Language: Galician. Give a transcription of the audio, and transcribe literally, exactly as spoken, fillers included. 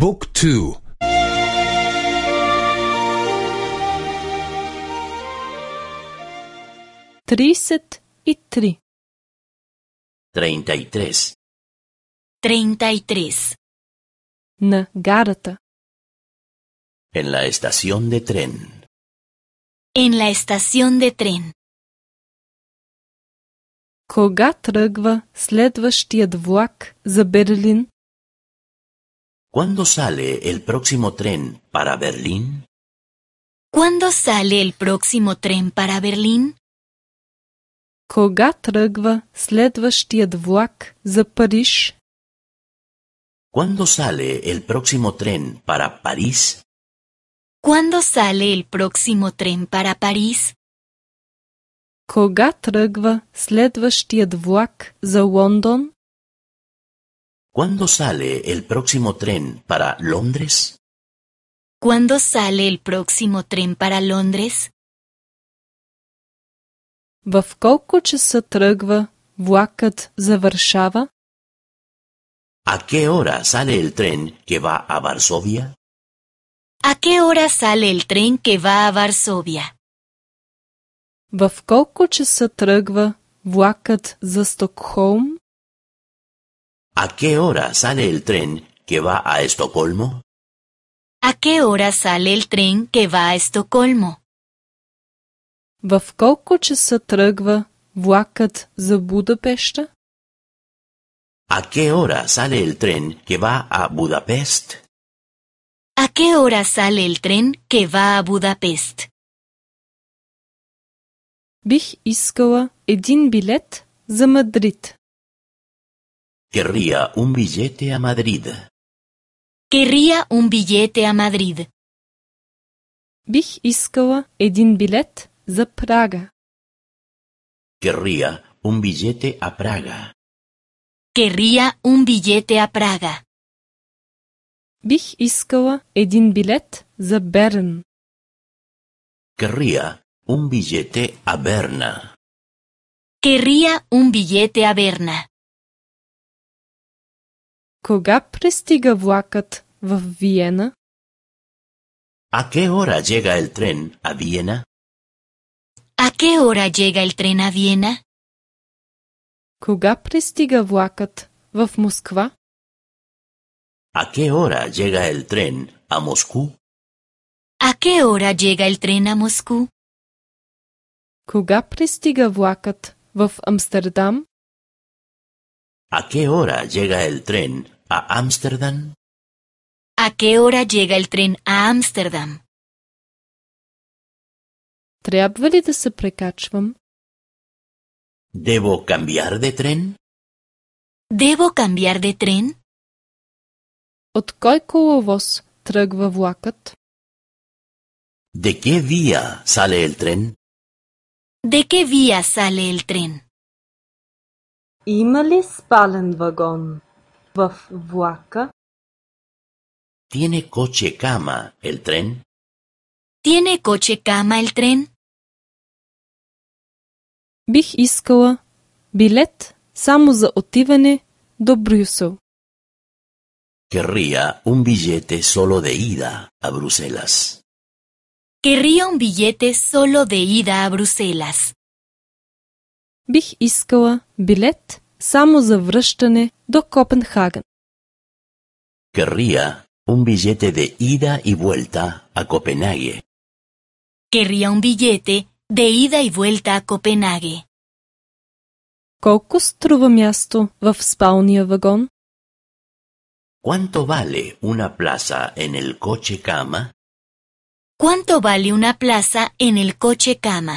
บุ๊กทูtrideset i tri. Treinta y tres. Treinta y tres. На гарата. En la estación de tren. En la estación de tren. Кога тръгва следващият влак за Берлин? ¿Cuándo sale el próximo tren para Berlín? ¿Cuándo sale el próximo tren para Berlín? Кога тръгва следващият влак за Париж? ¿Cuándo sale el próximo tren para París? ¿Cuándo sale el próximo tren para París? Кога тръгва следващият влак за Лондон? ¿Cuándo sale el próximo tren para Londres? ¿Cuándo sale el próximo tren para Londres? В колко часа тръгва влакът за Варшава? ¿A qué hora sale el tren que va a Varsovia? ¿A qué hora sale el tren que va a Varsovia? В колко часа тръгва влакът за Стокхолм? ¿A qué hora sale el tren que va a Estocolmo? ¿A qué hora sale el tren que va a Estocolmo? В колко часа тръгва влакът за Будапеща? ¿A qué hora sale el tren que va a Budapest? ¿A qué hora sale el tren que va a Budapest? Бих искала един билет за Мадрид. Querría un billete a Madrid. Querría un billete a Madrid. Бих искала един билет за Прага. Querría un billete a Praga. Querría un billete a Praga. Бих искала един билет за Берн. Querría un billete a Berna. Querría un billete a Berna. Кога пристига влакът в Виена? ¿A qué hora llega el tren a Viena? ¿A qué hora llega el tren a Viena? Кога пристига влакът в Москва? ¿A qué hora llega el tren a Moscú? ¿A qué hora llega el tren a Moscú? Кога пристига влакът в Амстердам? ¿A qué hora llega el tren a Ámsterdam? ¿A qué hora llega el tren a Ámsterdam? Трябва ли да се прекачвам? ¿Debo cambiar de tren? ¿Debo cambiar de tren? От кой коловоз тръгва влакът? ¿De qué vía sale el tren? ¿De qué vía sale el tren? Има ли спален вагон в влака? ¿Tiene coche cama el tren? ¿Tiene coche cama el tren? Бих искала билет само за отиване до Брюсел. Querría un billete solo de ida a Bruselas. Querría un billete solo de ida a Bruselas. Бих искала билет само за връщане до Копенхаген. Querría un billete de ida y vuelta a Copenhague. Querría un billete de ida y vuelta a Copenhague. Колко струва място в спалния вагон? ¿Cuánto vale una plaza en el coche cama? ¿Cuánto vale una plaza en el coche cama?